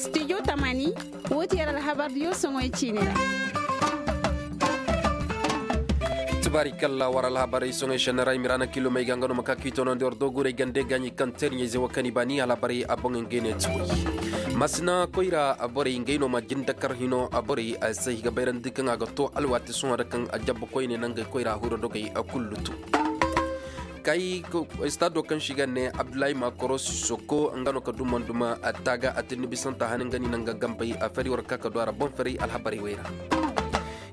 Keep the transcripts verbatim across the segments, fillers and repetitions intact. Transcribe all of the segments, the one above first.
Studio tamani, wo ti yar alhabar diyo soŋoy ciine ra. Tubaari kalla war alhabarey soŋoy shannaray mirana kilo may gangano maka kitono ndi war doguray gande gaɲi kaŋ terɲey ze wakani bani alhabarey a boŋ ngene tuway. Masina koyra a borey ngey no ma jindakar hino a borey a se higa bayrandi kaŋ a ga to alwati sohõ da kaŋ a jabba koyne nangay koyra huro dogay a kullu to. Kay stado kaŋ si ga ne abdullahi makoro sisoko nga no ka duman duma a taga a tinni bisanta hanin gani nanga gambay a fari war ka ka do ara bon fari alhabarey wayra.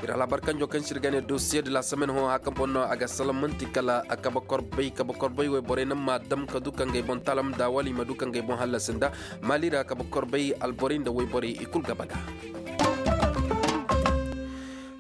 Iri alhabar kanjo kaŋ si ga ne dosiye de la semaine ho hakan bon no a ga salamanti kala a kaba korbay kaba korbay way borey nan ma dam ka du kangay bon talam da wali ma du kangay bon hallasin da mali ra kaba korbay alborey nda way borey i kulu ga baga.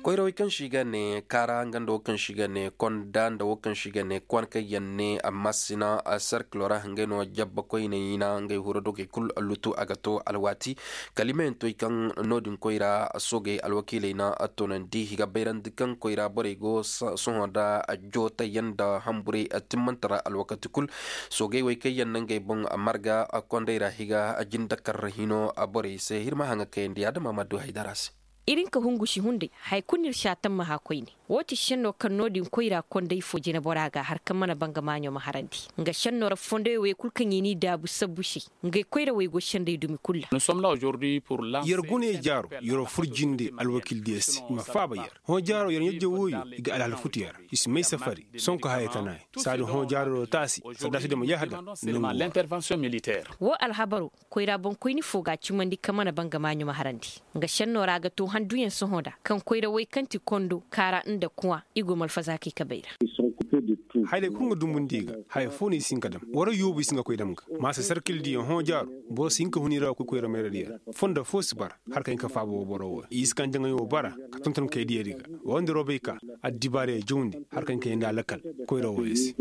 Koyrawey kaŋ si ga ne kaara nga nda wo kaŋ si ga ne konda nda wo kaŋ si ga ne kwanka yanne amma sina serkilo ra ngey no jabba koyne yina ngey huro dogey kulu lutu a ga to alwaati. Kalimayantoy kaŋ no- din koyra soogey alwakiiley na tonandi i ga bayrandi kaŋ koyra borey go sohõ nda jootayaŋ nda hamburey timmantara alwakati kulu. Soogey wey kaŋ yaŋ na ngey boŋ marga kondey ra i ga jindakar hino borey se iri ma haŋa kayandi adama ma du haydara se. Iri nka hungu si hunday haya kulu no iri si a tammaha koyne. Wo ti senno kaŋ no- din koyra konday fo jinabora ga har kaŋ mana banga maaɲo ma harandi nga senno ra fondoyo wey kulu kaŋ i n'i daabu sabbu se. Ngey koyrawey go senday dumi kulu ra. Yar gune jaaro yaro fur jinde alwakiil diya se i ma faaba yar hõ jaaro yar ɲajjo wooyo i ga alhala futu yar i si may safari sonko haya tana yaŋ saadi hõ jaaro do taasi saddaasi do ma yahda. Wo alhabaro koyra boŋkoyni fo ga a cimandi kaŋ mana banga maaɲo ma harandi. Nga senno ra ga to handuyaŋ sohõ da kaŋ koyra way kaŋ ti kondo kaara nda kuwa i go malfazaakey kabay ra. Haya day kulu nga dumbundi i ga haya fo no i si hin ka dam wara yoobu i si hin ka koy dam ga maasa sarkil diyaŋ hõ jaaro boro si hin ka hun i ra ga koy koyra mayra diya ra. Fondo fo si bara har ka hin ka faaba wo boro wo i si kaŋ jaŋay wo bara ka tonton kay diya di ga wonda robay ka addibaarey jawndi har ka hin ka yandi a lakkal koyra wo yaŋ se.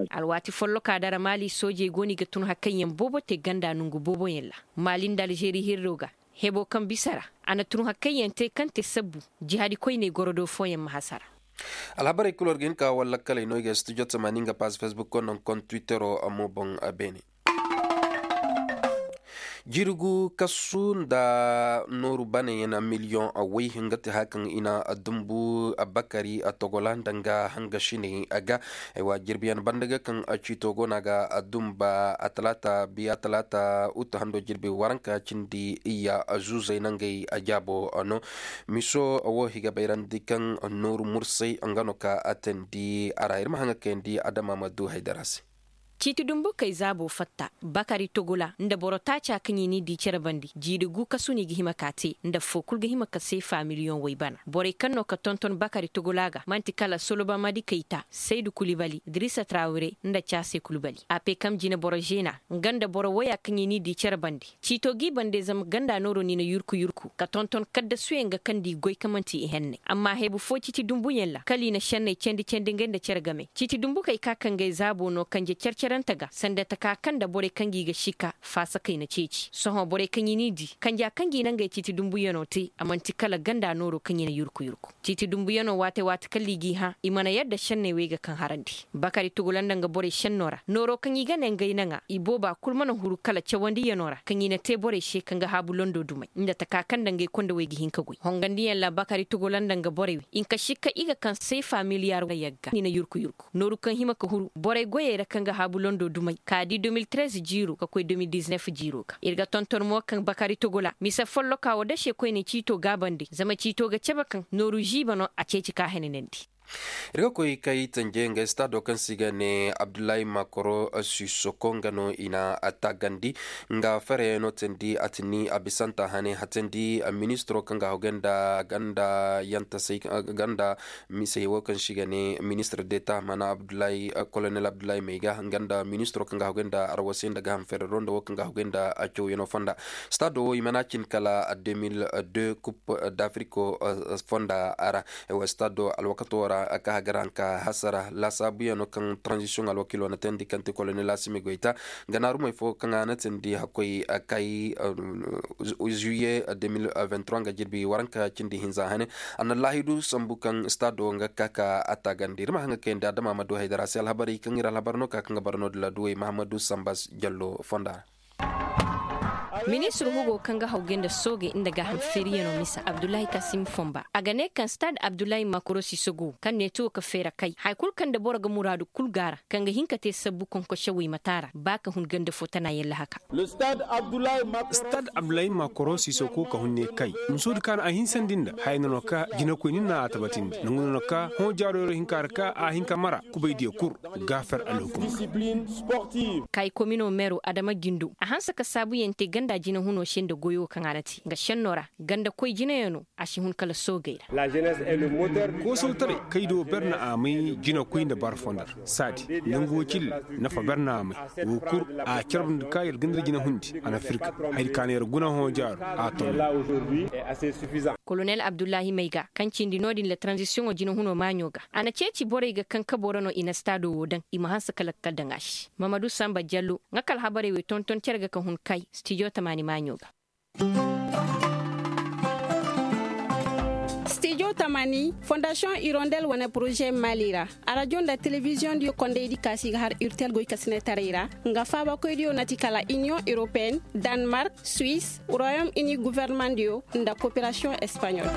Alwaati folloka dara maali soojey go no i ga tun hari kaŋ yaŋ boobo te ganda nangu boobo yaŋ ra. Maali nda alzeeri hirro ga hebo kaŋ bisa ra a na tun hari kaŋ yaŋ te kaŋ te sabbu jihaadi koyney goro do fooyaŋ ma hasara. Alhabarey kulu war ga hin ka war lakkaley no i ga studio tamaani nga paaz facebook konno konno twittero mo boŋ beene. Jirgu kasu nda nooru banayaŋ miliyoŋ way nga ti haya kaŋ i na dumbu bakari togola nda nga hangasiney ga. Jirbiyaŋ banda ga kaŋ ciito go no a ga dumba a talaata biya talaata utu hando jirbi waranka cindi iyya zuuzey nangey jaabo no. Miso wo i ga bayrandi kaŋ nooru mursay nga no ka a teendi a ra iri ma haŋ ga kayandi adama ma du haydara se. Ciiti dumbu kay zaabo fatta bakari togola nda boro taaca kaŋ i n'i di cere bandi jiiri gu kasu no i ga hima ka te nda fo kulu ga hima ka seefa miliyoŋ way bana borey kaŋ no ka tonton bakari togola ga manti kala soloba madi kayta saydu kulibali dirisa trawire nda caase kulibali a pe kam jine boro zeena nga nda boro waya kaŋ i n'i di cere bandi. Ciito g'i bande zama ganda nooro no i na yurku yurku ka tonton kaddasuyaŋ ga kaŋ da i goy ka manti i henne amma heebu fo ciiti dumbuyaŋ ra kala i na senney candi candi ngey nda cere game ciiti dumbu kay ka kangey zaabo no kanje care carante ga sanda taka kaŋ nda borey kaŋ ga i ga sika faasa kayna ceeci sohõ borey kaŋ i n'i di kanja kaŋ ga i nangey ciiti dumbuyano te a manti kala ganda nooro kaŋ i na yurku yurku. Ciiti dumbuyano waate waate kala i g'i hã i mana yadda senney wey ga kaŋ harandi bakari tugula nda nga borey senno ra nooro kaŋ i ga ne ngey naŋa i booba kulu mana huru kala cawandiyano ra kaŋ i na te borey se kaŋ ga haabu londo dumey nda taka kaŋ nda ngey kondowey ga hin ka goy hongandiyaŋ ra bakari tugula nda nga borey wey i nka sikka i ga kaŋ seefa miliyaar yagga i na yurku yurku nooru kaŋ hima ka huru borey goyey ra kaŋ ga haabu londo dumey ka di deux mille treize jiiro ka koy deux mille dix-neuf jiiro ga iri ga tonton mo kaŋ bakari tugula mise folloka wo dase koyne ciito gaabandi zama ciito ga cabe kaŋ nooru ziiba no a ceeci ka henanandi. Iri ga koy kay tanje nga stado kaŋ se i ga ne abdullahi makoro sisoko nga no i na a taagandi nga fereyano teendi a ti ni a bisanta hane hateendi ministiro kaŋ ga haw ganda ganda yantasay ganda misey wo kaŋ se i ga ne ministir deta mana abdullahi kolonel abdullahi mayga nga nda ministiro kaŋ ga haw ganda arwasay nda gaham ferero nda wo kaŋ ga haw ganda cawyano fonda. Stado wo i mana cin kala deux mille deux coupe d'afrique fonda ra. Stado alwakato ra A ka hagara nka hasara laasaabuyaŋo kaŋ transition alwakiilo na teendi kaŋ ti kolonel asimi goyta, ganaarumey fo kaŋ a na teendi hakkoy kay zuye de mil vingt trois nga jirbi waranka cindi hinza hane. A na laahidu sambu kaŋ staado nga ka ka a taagandi iri ma haŋ ga kayandi adama ma du haydara se alhabarey kaŋ iri alhabar no ka kaŋ ga bara no da laduwey mahamadu samba jallo fonda ra. Ministir hugo kaŋ ga hawgay nda soogey nda gaaham feeriyaŋo misa abdullahi kasim fomba a ga ne kaŋ stade abdullahi makoro sisogo kaŋ neeto ga feera kay hari kulu kaŋ nda boro ga muraadu kulu gaara kaŋ ga hin ka te sabbu konkosewey ma taara ba ka hun ganda fo tana yaŋ lahaka. Stade abdullahi makoro sisogo ka hun ne kay musoodi kaŋ a hinsandi nda haya no no ka jinakoy ni na a tabatindi nangu no no ka hõ jaaro yaro hinka ra ka a hin ka mara kubay diya kulu. Gaafar alhukum. Kay komino meero adama jindo a hanse ka saabuyaŋ te ganda jina huno se nda goyo kaŋ a na te nga senno ra ganda koy jinayaŋo a si hun kala soogey ra. Koosow taray kay do berne a may jina koy nda bara fonda ra saadi nangu wo cilla nafa berne a may wo kulu a carbe nda ka yar ganda jina hundi a na firka hari ka na yar guna hõ jaaro a ton. Kolonel abdullahi mayga kaŋ cindi no- din la tranzisiyoŋo jina huno maaɲo ga a na ceeci borey ga kaŋ kabo ra no i na staado wo daŋ i ma hanse ka lakkal daŋ a se mamadu samba jallo nga ka alhabarey wo tonton cere ga ka hun kay stijo tamaani maaɲo ga. Stijo tamaani fondasiyoŋ irondel wane poroze maali ra arajo nda telebiziyoŋ diyo kondaydi kaasi ga har irtel goykasinetaray ra nga faabakoydiyo na ti kala iniyoŋ europeen, danmark, suwis, royom ini guvernemandiyo nda koperasiyoŋ espaɲol.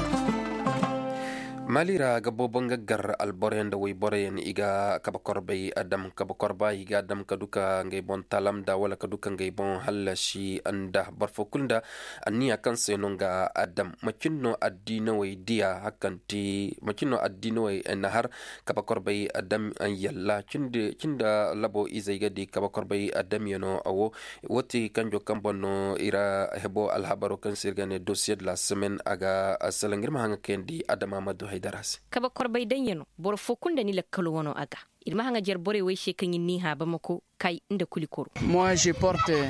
Maali ra ga boobo nga gar alboroyaŋ nda wayboroyaŋ i ga kabe korbay dam kabe korba i ga a dam ka du ka ngey boŋ talamda wala ka du ka ngey boŋ hallasi nda boro fo kulu nda anniya kaŋ se no nga a dam macin no addiinawey diya hari kaŋ ti macin no addiinawey na har kabe korbay dam yalla cin da labo izey ga di kabe korbay damyano wo. Wo ti kanjo kaŋ boŋ no i ra hebo alhabaro kaŋ se iri ga ne dosiye de la semaine a ga salaŋ iri ma haŋ ga kayandi adama ma du haydara se. Kabe korbay daŋyano boro fo kulu nda ni lakkalo wano a ga iri ma haŋ ga jare borey wo ay se kaŋ iri n'i hã bamako kay nda kuli koro.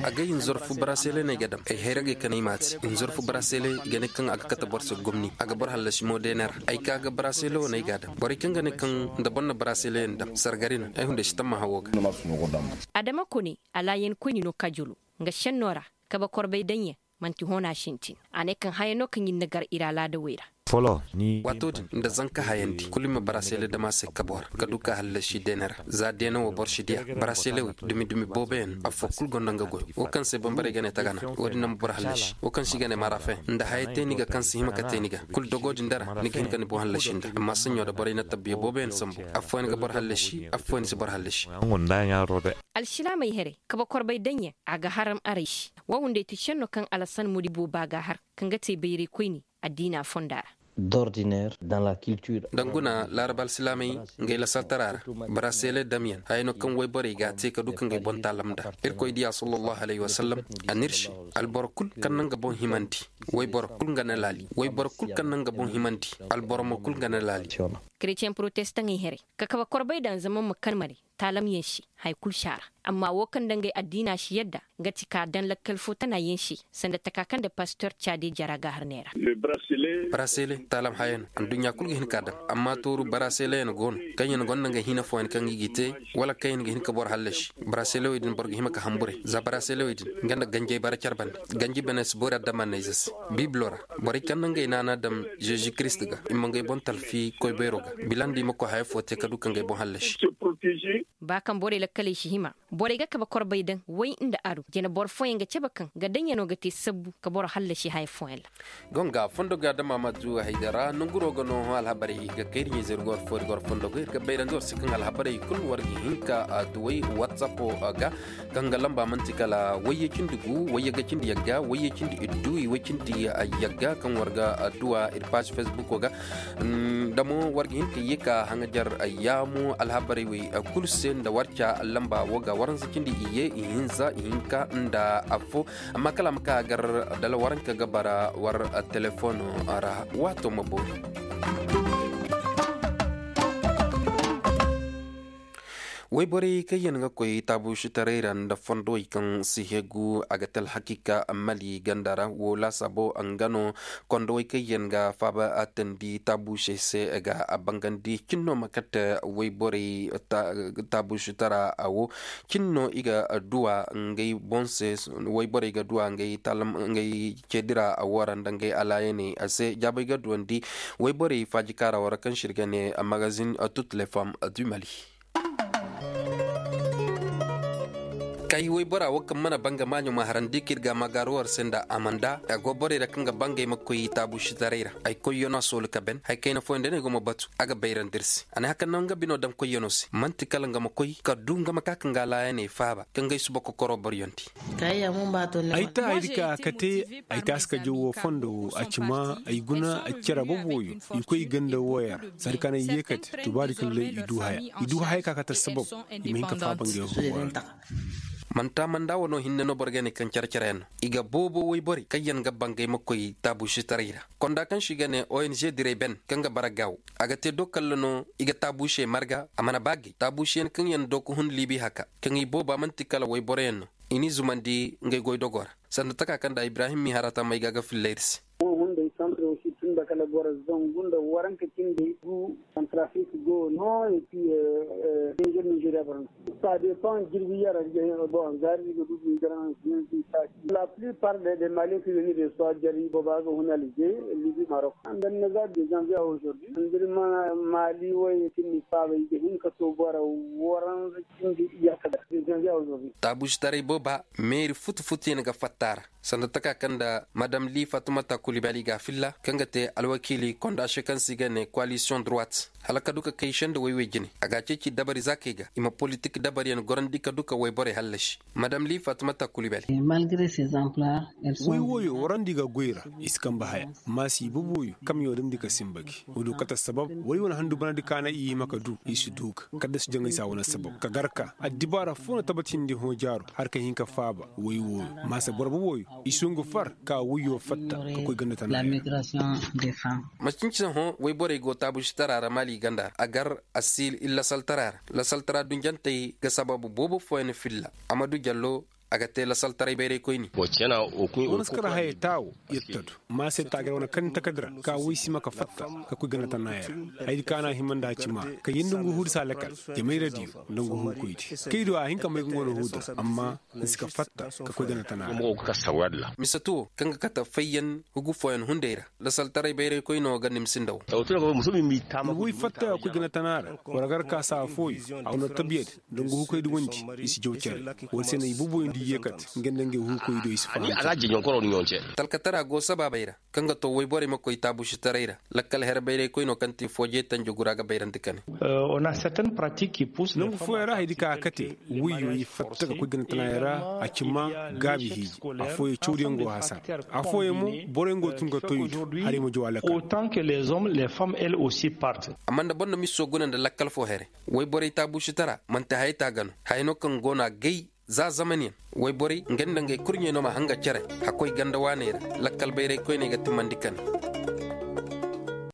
Agay hinzor fu barasele no ay ga daŋ ay hayragey kaŋ ay ma a te hinzor fu barasele i ga ne kaŋ a ga kate boro se gomni a ga boro hallasi mo deene ra. Ay ka ga barasele wo no ay ga a daŋ borey kaŋ ga ne kaŋ nda boro na barasele yaŋ daŋ sargari no ay hunday si tamma hawo ga. Adama kone alaayan koyni no kajolo nga senno ra kabe korbay daŋyaŋ manti hona sintin. A ne kaŋ haya no kaŋ iri na gar iri alaadawey ra. Waato din nda zanka hayandi kulu i ma barasele dama se kabo ra ka du ka hallasi deene ra za deene wo boro si diya barasele wey dumi dumi boobo yaŋ afo kulu gonda nga goyo wo kaŋ se bambarey ga ne tagana wo- din no ma boro hallasi wo kaŋ se i ga ne marafen nda haya te ni ga kaŋ si hima ka te ni ga kulu dogo din dara ni ga hin ka ni boŋ hallasi nda amma saɲo da borey na tabbiya boobo yaŋ sambu afooyaŋ ga boro hallasi afooyaŋ si boro hallasi. Alsilaamey here kabe korbay daŋyaŋ a ga haram arey se. Wo hunday ti senno kaŋ alasan modi booba ga har kaŋ ga te bayray koyne addiina fonda ra. Danguna laaraba alsilaamey ngey lasaltara ra barasele damyaŋ haya no kaŋ wayborey ga a te ka du ka ngey boŋ taalam nd'a. Irkoy diya sallallahu alayhi wasallam a n'iri se alboro kulu kaŋ na nga boŋ himandi wayboro kulu nga na laali wayboro kulu kaŋ na nga boŋ himandi alboro mo kulu nga na laali. Keretiyeŋ porotestaŋey here ka kabe korbay daŋ zama ma kan mare taalamyaŋ se hari kulu si a ra. Amma wo kaŋ nda ngey addiina si yadda nga ti ka daŋ lakkal fo tana yaŋ se sanda taka kaŋ nda pastor caade jara ga har neera. Barasele taalam haya no anduɲɲa kulu ga hin ka daŋ amma tooru barasele yaŋ go no kaŋ yaŋ gonda ngey hina fooyaŋ kaŋ i g'i te wala kaŋ yaŋ ga hin ka boro hallasi. Barasele wo din boro ga hima ka hamburay za barasele wo din nga nda ganjey bara care bande ganji bene si boori adamanney ze se. Bibilo ra borey kaŋ na ngey naana daŋ zeezi kiristi ga i ma ngey boŋ talfi koy bayro ga bila nda i ma koy haya fo te ka du ka ngey boŋ hallasi. Ba kaŋ borey lakkaley si hima borey ga kabe korbay daŋ way nda aro jina boro fooyaŋ ga cabe kaŋ ga daŋyaŋo ga te sabbu ka boro hallasi haya fooyaŋ ra. Gonga fondo ga da maamatu haydara nanguro ga no alhabarey ga kayri ɲayzey iri ga war fo iri ga war fondo ga iri ga bayrandi war se kaŋ alhabarey kulu war ga hin ka duway whatsapp ga kaŋ ga lamba manti kala wayye cindi gu wayye ga cindi yagga wayye cindi iddu iway cindi yagga kaŋ war ga duwa iri page facebook ga. Damo war ga hin ka ye ka haŋajar yaamu alhabarey wey kulu se nda war ca lamba wo ga waranza cindi iye ihinza ihinka nda affo. Amma kala a ma ka gar dala waranka ga bara war telefono ra waato ma boori. Wayborey kaŋ yaŋ ga koy taabuusitaray ra nda fondowey kaŋ si hegu a ga te alhakiika mali ganda ra wo laasaabo nga no. Kondowey kaŋ yaŋ ga faaba a tandi taabuusey se ga a bangandi cin no ma kate wayborey taabuusitara wo. Cin no i ga duwa ngey boŋ se. Wayborey ga duwa ngey ceedi ra a wo ra nda ngey alaayaney a se jaabey ga duwandi. Wayborey faaji kaara wo ra kaŋ se iri ga ne magazin toutes les femmes du mali. Kay waybora wo kaŋ mana banga maaɲo ma harandi kaŋ iri ga a ma gaaru war se nda amanda a go borey ra kaŋ ga bangay ma koy taabuusitaray ra ay koyyaŋo a soolu ka ben hari kayna fooyaŋ day no ay go ma batu a ga bayrandi iri se a ne hari kaŋ no nga bino daŋ koyyaŋo se manti kala nga ma koy ka du nga ma ka ka nga laayaney faaba ka ngey suba kokoro boryondi. Ay ta hari ka ka te ay taasi ka jaw wo fondo wo a ci ma ay guna ay cere boobo wooyo. I koy i ganda wooyo ra sanda kaŋ ay ye kate tubaari kala day i du haya i du haya ka kate sabab i ma hin ka faaba ngey huuwa ra. Manti amanda wano hinne no boro ga ne kaŋ care care yaŋ no i ga boobo wayborey kaŋ yaŋ ga bangay ma koy taabuusitaray ra. Konda kaŋ se i ga ne ong diray ben kaŋ ga bara gaawo a ga te do kalla no i ga taabuusey marga a mana ba gay taabuusiyaŋ kaŋ yaŋ do ga hun liibi haka kaŋ i booba manti kala wayboro yaŋ no. I n'i zumandi ngey goydogo ra sanda taka kaŋ nda ibrahim mihara tamey ga ga filla iri se. Wo hunday santre wo si tun nda kala boro zangu nda waranka cindi gu. Santrafrik go no et puis niger nigeria boro no. Ça dépend jirbi yara. Bon zaari ga du niger. La plupart des maliens qui venir de soit jari boba ga hun alger libi maroc. Nda naza de janvier aujourd'hui nda mali way kinni faaba i ga hin ka to boro waranza cindi iyaka da de janvier aujourd'hui. Taabuusitaray booba meeri futu futu yaŋ ga fatta a ra. Sanda taka kaŋ nda madam li fatimata kulibali ga a filla kaŋ ga te alwakiili konda se kaŋ se i ga ne koalisiyoŋ droite hala ka du ka kay senda way-way jine a ga a ceeci dabari zaakey ga i ma politik dabariyaŋ gorandi ka du ka wayborey hallasi. Madam li fatimata kulibali. Way wooyo warandi ga goy ra i si kambe haya. Maasi boobo wooyo kamyo damndi ka sinba gi. Woodo kate sabab way wane handu banandi kaana i hima ka du i si du ga kadda si jaŋay se a wane sabab ka gar ka addibaara fo no tabbatindi hõ jaaro hari ka hin ka faaba. Way wooyo maasa boro boobo wooyo i si nga far ka wayyo fatta ka koy ganda tana. Macinci hõ wayborey go taabuusitara ra maali ganda ra a gar a si iri lasaltara ra lasaltara dunjantey ga sababu boobo fooyaŋ filla. Amadu jallo a ga te lasaltaray bayraykoyni. Wala si kar hayey taawo iri ta du. Ma se taagar wane kaŋ ni takadira ka way si ma ka fatta ka koy ganda tana ya ra. Haydi kaŋ a na a hima nda a ci ma ka yindi nga huudi si a lakal. Jamayra diyo nda nga huukoydi kaydo a hin ka may ga nga wane huuda amma ni si ka fatta ka koy ganda tana ya ra. Mise tuwo kaŋ ga kate fayyaŋ hugu fooyaŋ hunday ra lasaltaray bayraykoyno ga nimsi nda wo. Ni way fatta ka koy ganda tana ra wala gar ka saa fooyaŋ a wane tabiyadi. Nda nga huukoy da wandi i si jaw care. Wala se no i booboyaŋ da i ye kate nga nda ngey huukoy do i si fahamte. Talkatara go sabaabey ra kaŋ ga to wayborey ma koy taabusitaray ra. Lakkal here bayraykoy no kaŋ te fooje tanjo gura ga bayrandi kane. Nangu fooyaŋ ra haydi ka a kate wayyo i fatta ga koy gana tanayaŋ ra a ci ma gaabi hiiji. Afooyaŋ cawdiyaŋ go hasara. Afooyaŋ mo borey go tun ga to i do hari ma jaw a lakkal. Amma nda boro na miso guna nda lakkal fo here wayborey taabusitara manti haya ta ga no haya no kaŋ go no a gay. Za zamanyaŋ wayborey nga nda ngey kurɲey no ma hanga care. Hakkoy ganda waaney ra lakkal bayray koyney ga timmandi kane.